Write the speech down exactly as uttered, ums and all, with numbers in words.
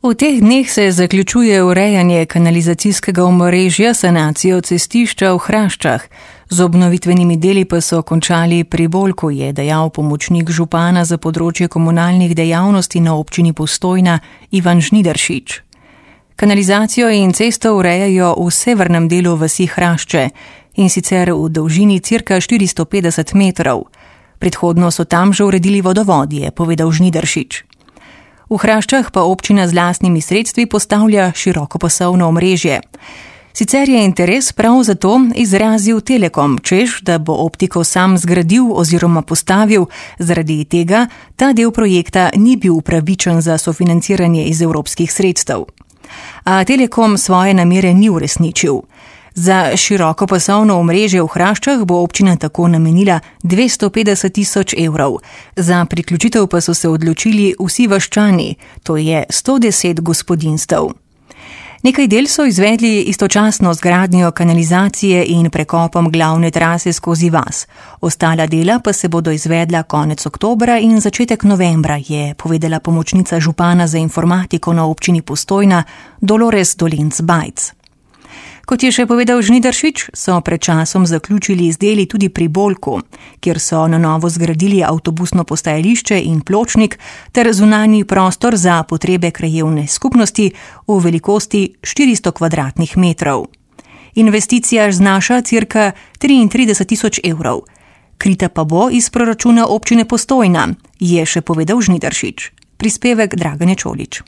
V teh dneh se zaključuje urejanje kanalizacijskega omrežja, sanacijo cestišča v Hraščah. Z obnovitvenimi deli pa so končali pri Bolku, je dejal pomočnik župana za področje komunalnih dejavnosti na občini Postojna Ivan Žnidaršič. Kanalizacijo in cesto urejajo v severnem delu vasi Hrašče, in sicer v dolžini cirka štiristo petdeset metrov. Predhodno so tam že uredili vodovod, je povedal Žnidaršič. V Hraščah pa občina z lastnimi sredstvi postavlja širokopasovno omrežje. Sicer je interes prav zato izrazil Telekom, češ, da bo optiko sam zgradil oziroma postavil, zaradi tega ta del projekta ni bil upravičen za sofinanciranje iz evropskih sredstev. A Telekom svoje namere ni uresničil. Za širokopasovno omrežje v Hraščah bo občina tako namenila dvesto petdeset tisoč evrov. Za priključitev pa so se odločili vsi vaščani, to je sto deset gospodinjstev. Nekaj del so izvedli istočasno z gradnjo kanalizacije in prekopom glavne trase skozi vas. Ostala dela pa se bodo izvedla konec oktobra in začetek novembra, je povedala pomočnica župana za informatiko na občini Postojna Dolores Dolenc Bajc. Kot je še povedal Žnidaršič, so pred časom zaključili z deli tudi pri Bolku, kjer so na novo zgradili avtobusno postajališče in pločnik ter zunanji prostor za potrebe krajevne skupnosti v velikosti štiristo kvadratnih metrov. Investicija znaša cirka triintrideset tisoč evrov. Krita pa bo iz proračuna občine Postojna, je še povedal Žnidaršič. Prispevek Dragane Čolič.